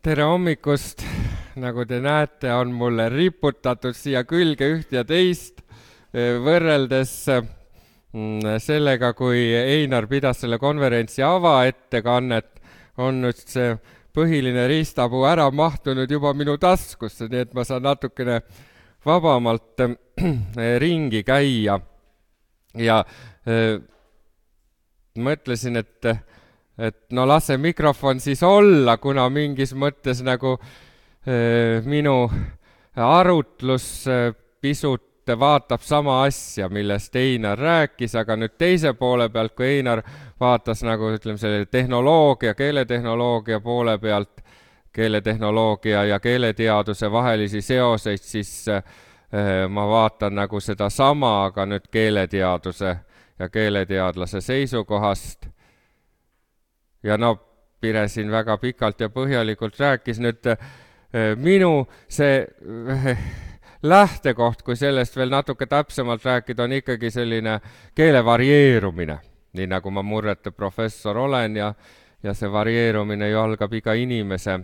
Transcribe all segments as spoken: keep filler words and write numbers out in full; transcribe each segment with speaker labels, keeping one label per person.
Speaker 1: Tere hommikust, nagu te näete, on mulle riputatud siia külge üht ja teist, võrreldes sellega, kui Einar pidas selle konverentsi avaettekannet, on nüüd see põhiline riistapuu ära mahtunud juba minu taskusse, nii et ma saan natukene vabamalt ringi käia. Ja äh, mõtlesin, et et no lase mikrofon siis olla, kuna mingis mõttes nagu äh, minu arutlus äh, pisut vaatab sama asja, millest Einar rääkis, aga nüüd teise poole pealt, kui Einar vaatas nagu ütleme selle tehnoloogia, keeletehnoloogia poole pealt, keeletehnoloogia ja keeleteaduse vahelisi seoseid, siis äh, ma vaatan nagu seda sama, aga nüüd keeleteaduse ja keeleteadlase seisukohast. Ja no Pire siin väga pikalt ja põhjalikult rääkis nüüd minu see lähtekoht, kui sellest veel natuke täpsemalt rääkida, on ikkagi selline keele varieerumine, nii nagu ma murrete professor olen ja, ja see varieerumine ju algab iga inimese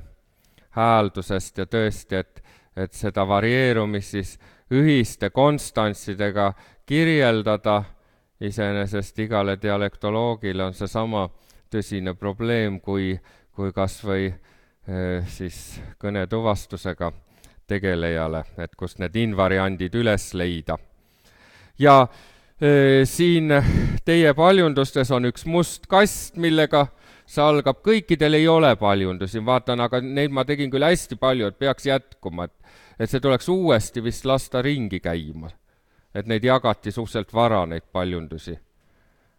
Speaker 1: hääldusest ja tõesti, et, et seda varieerumist siis ühiste konstantsidega kirjeldada, iseenesest igale dialektoloogile on see sama tõsine probleem, kui, kui kas või eh, siis kõnetuvastusega tegelejale, et kust need invariandid üles leida. Ja eh, siin teie paljundustes on üks must kast, millega see algab, kõikidel ei ole paljundusi, vaatan, aga neid ma tegin küll hästi palju, et peaks jätkuma, et, et see tuleks uuesti vist lasta ringi käima, et neid jagati suhteliselt vara, neid paljundusi.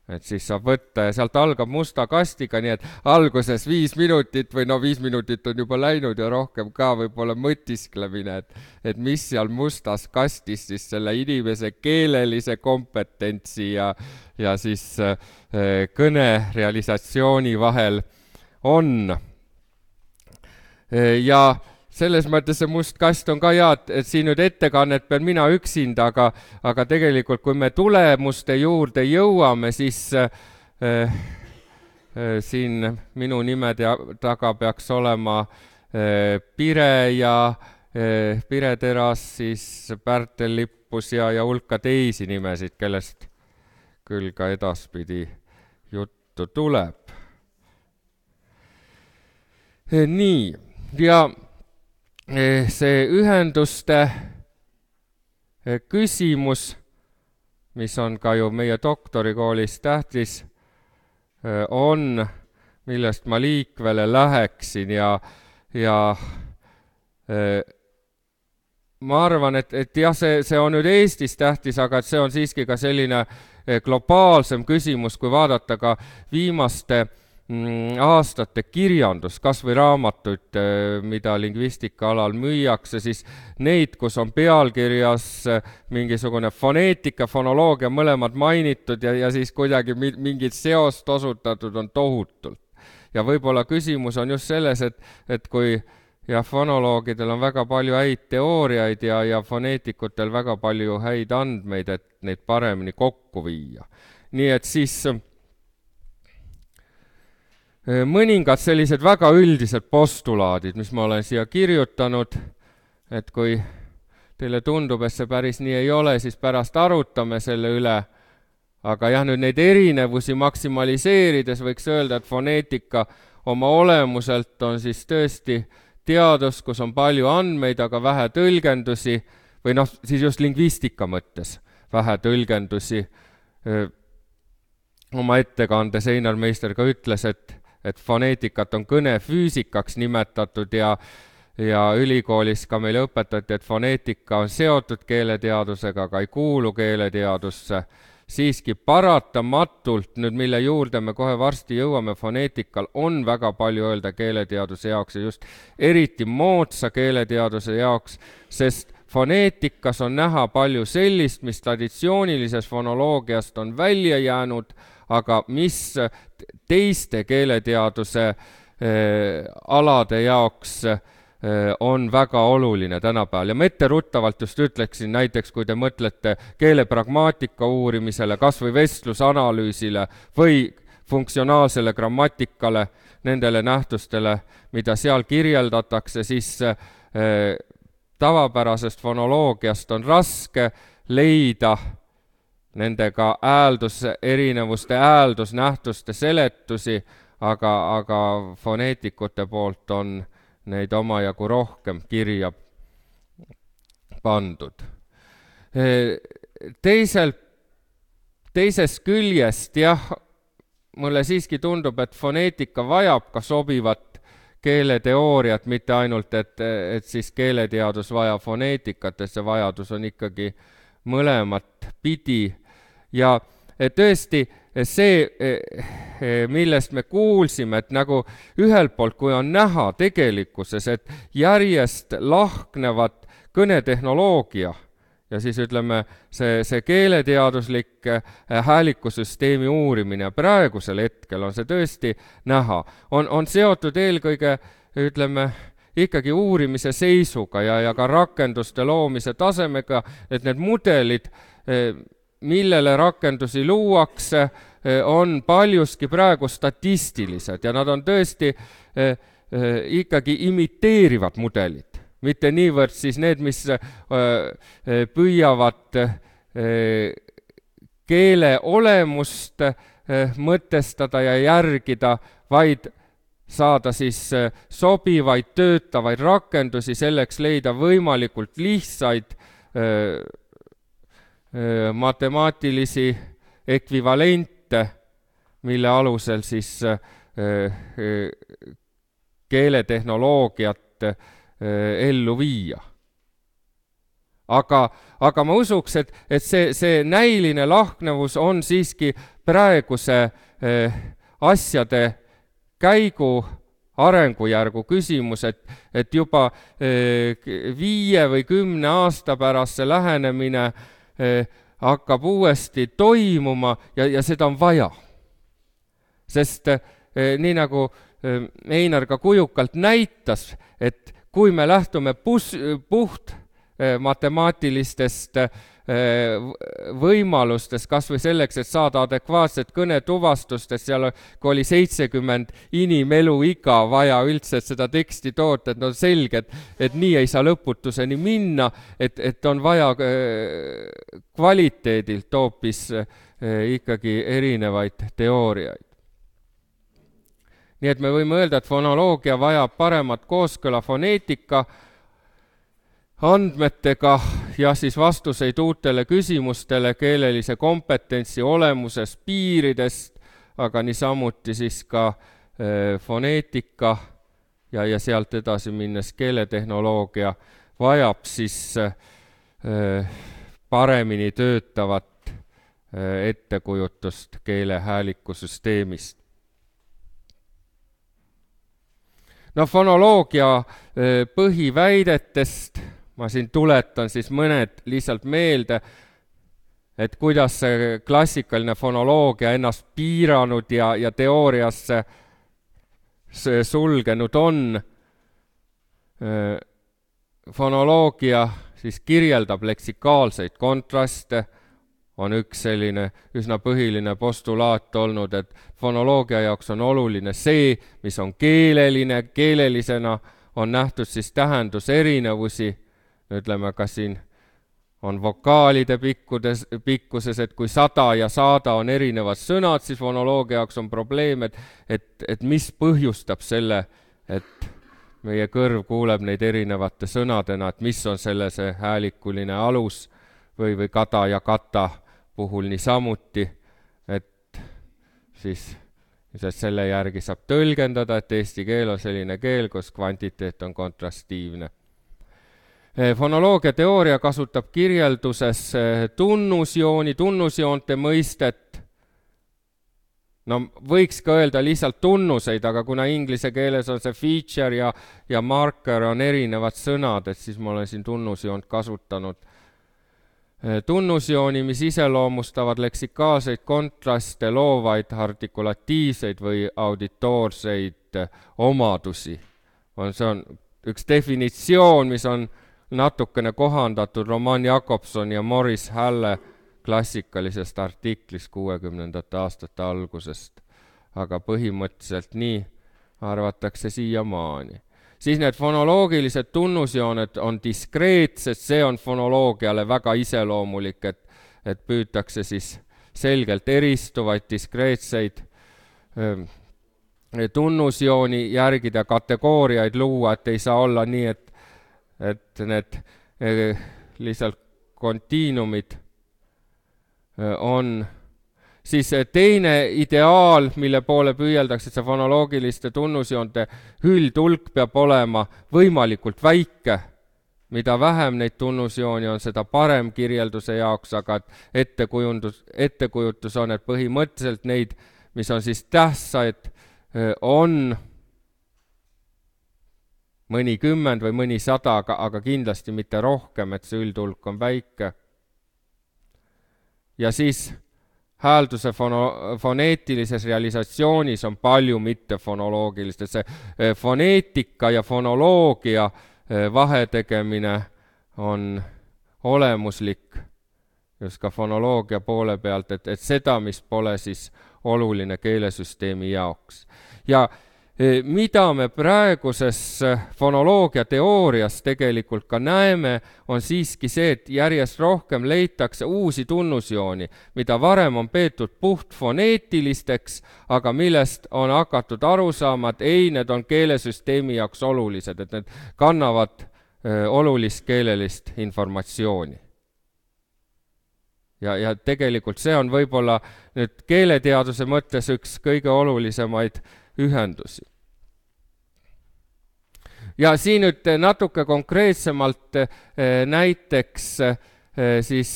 Speaker 1: Et siis saab võtta ja sealt algab musta kastiga, nii et alguses viis minutit või no viis minutit on juba läinud ja rohkem ka võib-olla mõtisklemine, et, et mis seal mustas kastis siis selle inimese keelelise kompetentsi ja, ja siis äh, kõne realisatsiooni vahel on. Ja selles mõttes see must kast on ka hea, et siin nüüd ettekannet pean mina üksinda, aga, aga tegelikult kui me tulemuste juurde jõuame, siis äh, äh, siin minu nimede taga peaks olema äh, Pire ja äh, Pire Teras, siis Pärtel Lippus ja, ja hulka teisi nimesid, kellest küll ka edaspidi juttu tuleb. E, nii, ja see ühenduste küsimus, mis on ka ju meie doktorikoolis tähtis, on, millest ma liikvele läheksin ja, ja ma arvan, et, et jah, see, see on nüüd Eestis tähtis, aga see on siiski ka selline globaalsem küsimus, kui vaadata ka viimaste aastate kirjandus, kas või raamatuid, mida lingvistika alal müüakse, siis neid, kus on pealkirjas mingisugune foneetika, fonoloogia mõlemad mainitud ja, ja siis kuidagi mingit seost osutatud on tohutult. Ja võib-olla küsimus on just selles, et, et kui ja fonoloogidel on väga palju häid teooriaid ja, ja foneetikutel väga palju häid andmeid, et neid paremini kokku viia. Nii et siis mõningad sellised väga üldised postulaadid, mis ma olen siia kirjutanud, et kui teile tundub, et see päris nii ei ole, siis pärast arutame selle üle, aga jah, nüüd neid erinevusi maksimaliseerides võiks öelda, et foneetika oma olemuselt on siis tõesti teadus, kus on palju andmeid, aga vähe tõlgendusi, või noh, siis just lingvistika mõttes vähe tõlgendusi. Oma ettekandes Einar Meister ka ütles, et et foneetikat on kõnefüüsikaks nimetatud ja, ja ülikoolis ka meile õpetati, et foneetika on seotud keeleteadusega, aga ei kuulu keeleteadusse. Siiski paratamatult, nüüd mille juurde me kohe varsti jõuame, foneetikal on väga palju öelda keeleteaduse jaoks ja just eriti moodsa keeleteaduse jaoks, sest foneetikas on näha palju sellist, mis traditsioonilises fonoloogiast on välja jäänud, aga mis teiste keeleteaduse eh, alade jaoks eh, on väga oluline tänapäeval. Ja ma etteruttavalt just ütleksin näiteks, kui te mõtlete keelepragmaatika uurimisele, kas või vestlusanalüüsile või funktsionaalsele grammatikale, nendele nähtustele, mida seal kirjeldatakse, siis tavapärasest fonoloogiast on raske leida nendega hääldus, erinevuste hääldusnähtuste seletusi, aga, aga foneetikute poolt on neid omajagu rohkem kirja pandud. Teiselt, teisest küljest, jah, mulle siiski tundub, et foneetika vajab ka sobivat keeleteooriat, mitte ainult, et, et siis keeleteadus vajab foneetikat, et see vajadus on ikkagi mõlemat pidi. Ja tõesti see, millest me kuulsime, et nagu ühelt poolt, kui on näha tegelikkuses, et järjest lahknevad kõnetehnoloogia ja siis ütleme, see, see keeleteaduslik häälikusüsteemi uurimine praegusel hetkel on see tõesti näha. On, on seotud eelkõige, ütleme, ikkagi uurimise seisuga ja, ja ka rakenduste loomise tasemega, et need mudelid, millele rakendusi luuakse, on paljuski praegu statistilised ja nad on tõesti ikkagi imiteerivad mudelid. Mitte niivõrd siis need, mis püüavad keele olemust mõtestada ja järgida, vaid saada siis sobivaid töötavaid rakendusi, selleks leida võimalikult lihtsaid matemaatilisi ekvivalente, mille alusel siis keeletehnoloogiat ellu viia. Aga, aga ma usuks, et, et see, see näiline lahknevus on siiski praeguse eh, asjade käigu arengujärgu küsimus, et, et juba eh, viie või kümne aasta pärast see lähenemine eh, hakkab uuesti toimuma ja, ja seda on vaja. Sest eh, nii nagu eh, Einar ka kujukalt näitas, et kui me lähtume pus, puht eh, matemaatilistest eh, võimalustest, kas või selleks, et saada adekvaatset kõnetuvastustest, seal kui oli seitsekümmend inimelu iga vaja üldse, et seda teksti toota, et no selge, et, et nii ei saa lõputuseni minna, et, et on vaja eh, kvaliteedilt hoopis eh, ikkagi erinevaid teooriaid. Nii et me võime öelda, et fonoloogia vajab paremat kooskõla foneetika andmetega ja siis vastuseid uutele küsimustele keelelise kompetentsi olemuses piiridest, aga niisamuti siis ka eh, foneetika ja, ja sealt edasi minnes keeletehnoloogia vajab siis eh, paremini töötavat eh, ettekujutust keele häälikusüsteemist. No fonoloogia põhiväidetest ma siin tuletan siis mõned lihtsalt meelde, et kuidas see klassikaline fonoloogia ennast piiranud ja, ja teooriasse sulgenud on. Fonoloogia siis kirjeldab leksikaalseid kontraste, on üks selline üsna põhiline postulaat olnud, et fonoloogia jaoks on oluline see, mis on keeleline, keelelisena on nähtud siis tähenduserinevusi, ütleme ka siin on vokaalide pikkudes, pikkuses, et kui sada ja saada on erinevad sõnad, siis fonoloogia jaoks on probleem, et, et, et mis põhjustab selle, et meie kõrv kuuleb neid erinevate sõnadena, et mis on selle see häälikuline alus või, või kada ja kata puhul niisamuti, et siis selle järgi saab tõlgendada, et eesti keel on selline keel, kus kvantiteet on kontrastiivne. Fonoloogia teooria kasutab kirjelduses tunnusjooni, tunnusjoonte mõistet. No võiks ka öelda lihtsalt tunnuseid, aga kuna inglise keeles on see feature ja, ja marker on erinevad sõnad, et siis ma olen siin tunnusjoont kasutanud. Tunnusjooni, mis iseloomustavad leksikaalseid kontraste, loovaid artikulatiivseid või auditoorseid omadusi. See on üks definitsioon, mis on natukene kohandatud Roman Jakobson ja Morris Halle klassikalisest artiklist kuuekümnendate aastate algusest. aga põhimõtteliselt nii arvatakse siiamaani. Siis need fonoloogilised tunnusjooned on diskreetsed, see on fonoloogiale väga iseloomulik, et, et püütakse siis selgelt eristuvaid diskreetseid öö, tunnusjooni järgida, kategooriaid luua, et ei saa olla nii, et, et need öö, lihtsalt kontiinumid öö, on. Siis teine ideaal, mille poole püüeldakse, see fonoloogiliste tunnusjoonte üldhulk peab olema võimalikult väike. Mida vähem neid tunnusjooni on, seda parem kirjelduse jaoks, aga ettekujundus, ettekujutus on, et põhimõtteliselt neid, mis on siis tähtsaid, on mõnikümmend või mõni sada, aga, aga kindlasti mitte rohkem, et see üldhulk on väike. Ja siis häälduse fono, foneetilises realisatsioonis on palju mittefonoloogilist, et see foneetika ja fonoloogia vahetegemine on olemuslik just ka fonoloogia poole pealt, et, et seda, mis pole siis oluline keelesüsteemi jaoks. Ja mida me praeguses fonoloogia teoorias tegelikult ka näeme, on siiski see, et järjest rohkem leitakse uusi tunnusjooni, mida varem on peetud puht foneetilisteks, aga millest on hakatud aru saama, et ei, need on keelesüsteemi jaoks olulised, et need kannavad öö, olulist keelelist informatsiooni. Ja, ja tegelikult see on võib-olla nüüd keeleteaduse mõttes üks kõige olulisemaid ühendusi. Ja siin nüüd natuke konkreetsemalt näiteks siis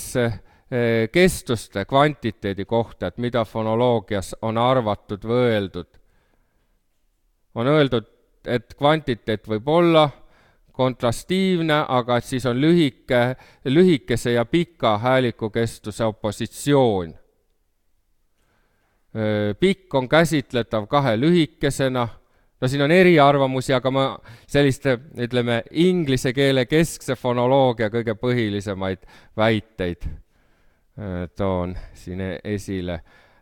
Speaker 1: kestuste kvantiteedi kohta, et mida fonoloogias on arvatud või öeldud. On öeldud, et kvantiteet võib olla kontrastiivne, aga et siis on lühike, lühikese ja pika häälikukestuse opositsioon. Pikk on käsitletav kahe lühikesena, no siin on eriarvamusi, aga ma selliste, ütleme, inglise keele keskse fonoloogia kõige põhilisemaid väiteid toon siin esile.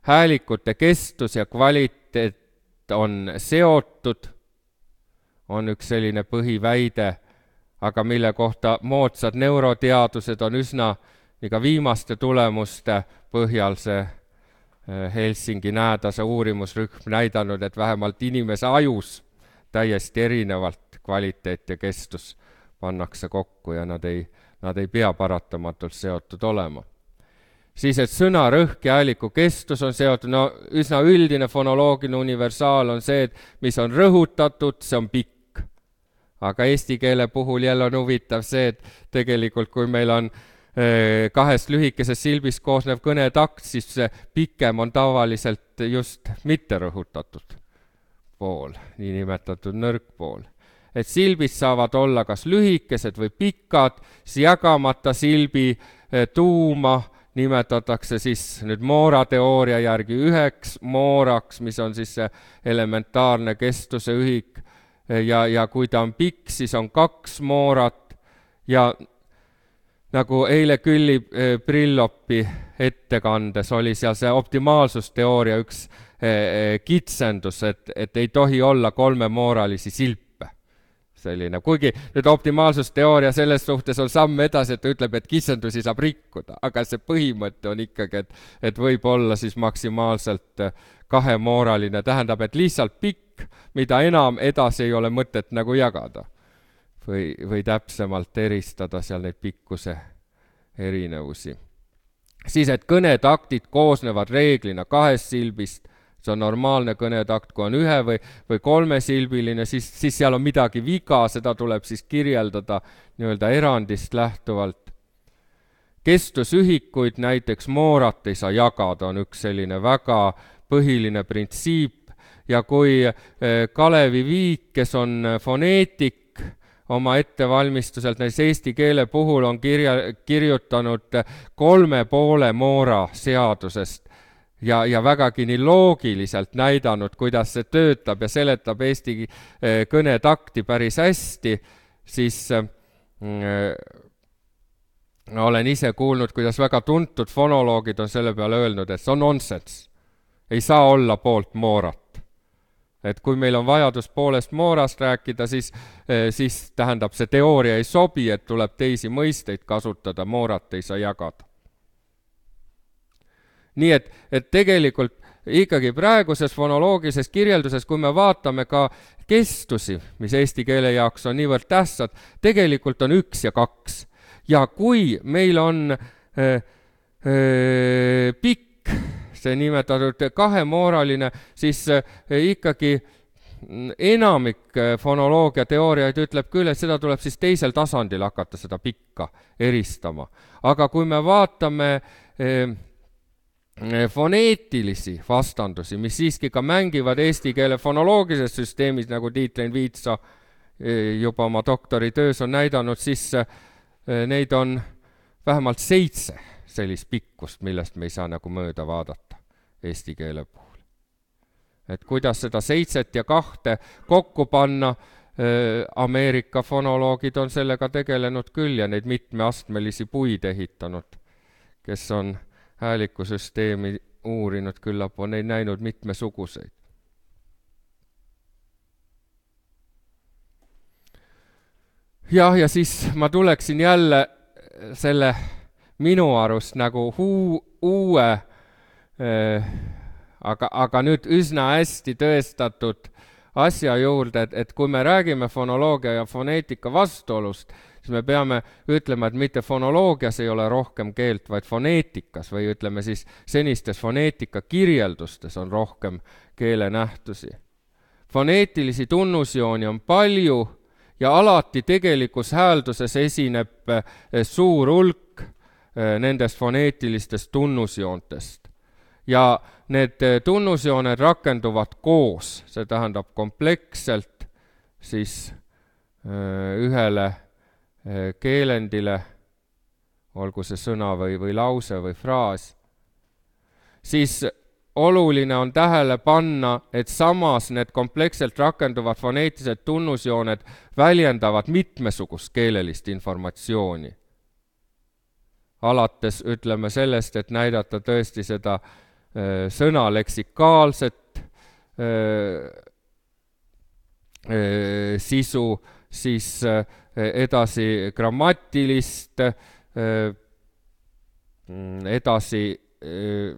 Speaker 1: Häälikute kestus ja kvaliteet on seotud, on üks selline põhiväide, aga mille kohta moodsad neuroteadused on üsna iga viimaste tulemuste põhjal see Helsingi näädase uurimusrühm näidanud, et vähemalt inimese ajus täiesti erinevalt kvaliteet ja kestus pannakse kokku ja nad ei, nad ei pea paratamatult seotud olema. Siis, et sõna rõhk ja hääliku kestus on seotud, no üsna üldine fonoloogiline universaal on see, et mis on rõhutatud, see on pikk. Aga eesti keele puhul jälle on huvitav see, et tegelikult kui meil on kahest lühikesest silbist koosnev kõnetakt, siis see pikem on tavaliselt just mitte rõhutatud pool, niinimetatud nõrkpool. Et silbid saavad olla kas lühikesed või pikad, siis jagamata silbi tuuma nimetatakse siis nüüd Moora teooria järgi üheks mooraks, mis on siis see elementaarne kestuse ühik, ja, ja kui ta on pikk, siis on kaks moorat ja nagu eile Külli Brillopi ettekandes oli seal see optimaalsusteooria üks kitsendus, et, et ei tohi olla kolmemooralisi silpe. Selline. Kuigi nüüd optimaalsusteooria selles suhtes on samm edasi, et ta ütleb, et kitsendusi saab rikkuda, aga see põhimõte on ikkagi, et, et võib olla siis maksimaalselt kahemooraline, tähendab, et lihtsalt pikk, mida enam edasi ei ole mõtet nagu jagada. Või, või täpsemalt eristada seal neid pikkuse erinevusi. Siis, et kõnetaktid koosnevad reeglina kahest silbist, see on normaalne kõnetakt, kui on ühe või, või kolmesilbiline, siis, siis seal on midagi viga, seda tuleb siis kirjeldada nii-öelda erandist lähtuvalt. Kestusühikuid näiteks moorat ei saa jagada, on üks selline väga põhiline printsiip ja kui Kalevi Viik, kes on foneetik, oma ettevalmistuselt näiteks eesti keele puhul on kirja, kirjutanud kolme poole moora seadusest ja, ja vägagi nii loogiliselt näidanud, kuidas see töötab ja seletab eesti kõnetakti päris hästi, siis äh, olen ise kuulnud, kuidas väga tuntud fonoloogid on selle peale öelnud, et see on nonsense. Ei saa olla poolt moorat. Et kui meil on vajadus poolest moorast rääkida, siis, siis tähendab see teooria ei sobi, et tuleb teisi mõisteid kasutada, moorat ei saa jagada. Nii et, et tegelikult ikkagi praeguses fonoloogilises kirjelduses, kui me vaatame ka kestusi, mis eesti keele jaoks on niivõrd tähtsad, tegelikult on üks ja kaks. Ja kui meil on äh, äh, pikk, see nimetatud kahemooraline, siis ikkagi enamik fonoloogia teooriaid ütleb küll, et seda tuleb siis teisel tasandil hakata seda pikka eristama. Aga kui me vaatame eh, foneetilisi vastandusi, mis siiski ka mängivad eesti keele fonoloogilises süsteemis, nagu Tiit-Rein Viitsa eh, juba oma doktoritöös on näidanud, siis eh, neid on vähemalt seitse sellist pikkust, millest me ei saa nagu mööda vaadata eesti keele puhul. Et kuidas seda seitset ja kahte kokku panna, Ameerika fonoloogid on sellega tegelenud küll ja neid mitmeastmelisi puid ehitanud, kes on häälikusüsteemi uurinud, küllap on neid näinud mitmesuguseid. Jah, ja siis ma tuleksin jälle selle minu arust nagu huu, uue, äh, aga, aga nüüd üsna hästi tõestatud asja juurde, et, et kui me räägime fonoloogia ja foneetika vastuolust, siis me peame ütlema, et mitte fonoloogias ei ole rohkem keelt, vaid foneetikas või ütleme siis senistes foneetika kirjeldustes on rohkem keelenähtusi. Foneetilisi tunnusjooni on palju ja alati tegelikus häälduses esineb suur hulk nendest foneetilistest tunnusjoontest. Ja need tunnusjooned rakenduvad koos, see tähendab kompleksselt siis ühele keelendile, olgu see sõna või, või lause või fraas, siis oluline on tähele panna, et samas need kompleksselt rakenduvad foneetilised tunnusjooned väljendavad mitmesugust keelelist informatsiooni. Alates ütleme sellest, et näidata tõesti seda äh, sõna leksikaalset äh, äh, sisu, siis äh, edasi grammatilist, äh, edasi äh,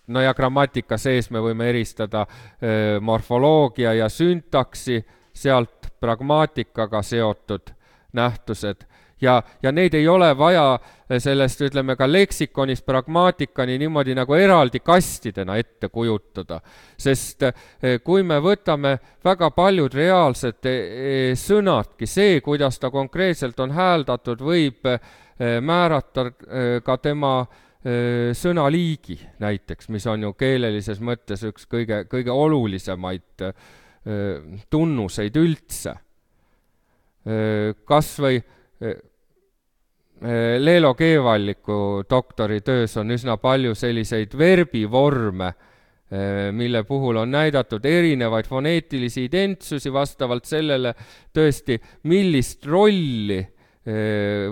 Speaker 1: no ja grammatika sees me võime eristada äh, morfoloogia ja syntaksi, sealt pragmaatikaga seotud nähtused. Ja, ja neid ei ole vaja sellest, ütleme ka leksikonist pragmaatikani niimoodi nagu eraldi kastidena ette kujutada. Sest kui me võtame väga paljud reaalsed sõnadki, see, kuidas ta konkreetselt on hääldatud, võib määrata ka tema sõnaliigi näiteks, mis on ju keelelises mõttes üks kõige, kõige olulisemaid tunnuseid üldse. Kas või Leelo Keevalliku doktoritöös on üsna palju selliseid verbivorme, mille puhul on näidatud erinevaid foneetilisi identsusi vastavalt sellele tõesti, millist rolli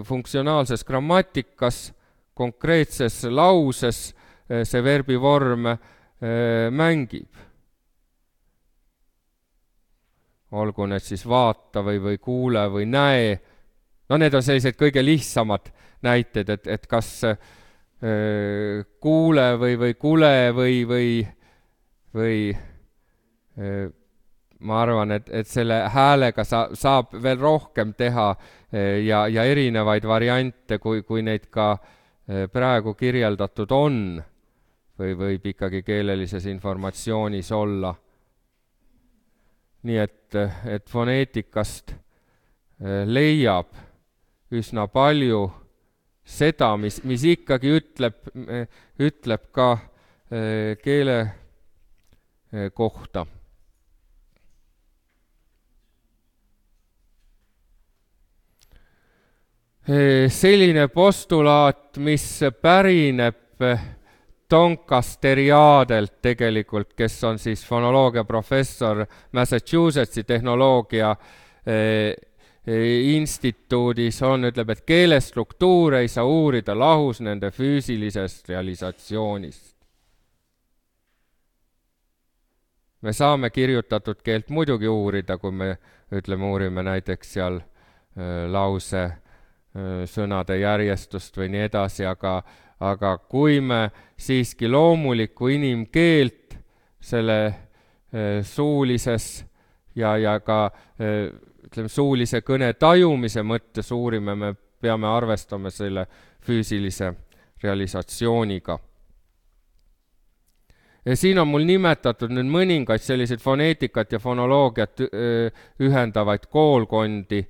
Speaker 1: funktsionaalses grammatikas, konkreetses lauses see verbivorm mängib. Olgu need siis vaata või, või kuule või näe. No need on sellised kõige lihtsamad näited, et, et kas äh, kuule või, või kule või, või, või äh, ma arvan, et, et selle häälega sa, saab veel rohkem teha äh, ja, ja erinevaid variante, kui, kui neid ka äh, praegu kirjeldatud on või võib ikkagi keelelises informatsioonis olla. Nii et, et foneetikast äh, leiab üsna palju seda, mis, mis ikkagi ütleb, ütleb ka keele kohta. Selline postulaat, mis pärineb Doncasteriadelt tegelikult, kes on siis fonoloogia professor Massachusettsi tehnoloogia instituudis on, ütleb, et keelestruktuur ei saa uurida lahus nende füüsilisest realisatsioonist. me saame kirjutatud keelt muidugi uurida, kui me ütleme, uurime näiteks seal äh, lause äh, sõnade järjestust või nii edasi, aga, aga kui me siiski loomulikku inimkeelt selle äh, suulises ja, ja ka äh, ütleme, suulise kõne tajumise mõttes uurime, me peame arvestama selle füüsilise realisatsiooniga. Ja siin on mul nimetatud nüüd mõningaid selliseid foneetikat ja fonoloogiat ühendavaid koolkondi.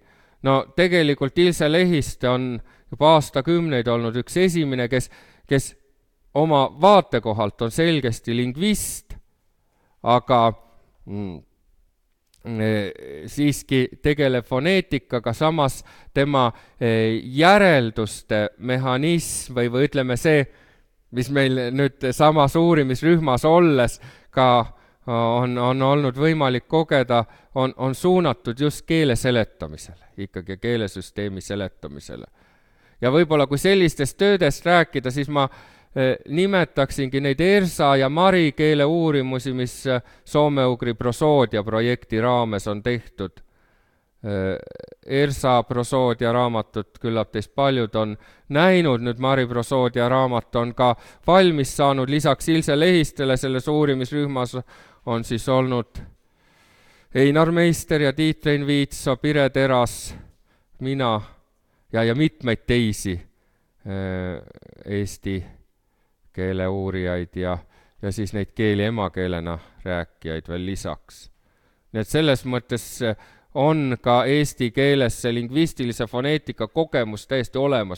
Speaker 1: No tegelikult Ilse Lehiste on juba aastakümneid olnud üks esimene, kes, kes oma vaatekohalt on selgesti lingvist, aga mm, siiski tegeleb foneetikaga, samas tema järelduste mehhanism või, või ütleme see, mis meil nüüd samas uurimisrühmas olles ka on, on olnud võimalik kogeda, on, on suunatud just keele seletamisele, ikkagi keelesüsteemi seletamisele. Ja võib-olla kui sellistest töödest rääkida, siis ma eh, nimetaksingi neid Ersa ja Mari keele uurimusi, mis soome-ugri prosoodia projekti raames on tehtud. Ersa prosoodia raamatut küllap teist paljud on näinud, nüüd Mari prosoodia raamat on ka valmis saanud, lisaks Ilse Lehistele selles uurimisrühmas on siis olnud Einar Meister ja Tiit Rein Viitso, Pire Teras, mina ja, ja mitmeid teisi eesti keele uurijaid ja, ja siis neid keeli emakeelena rääkijaid veel lisaks. Nii et selles mõttes on ka eesti keeles see lingvistilise foneetika kogemus täiesti olemas.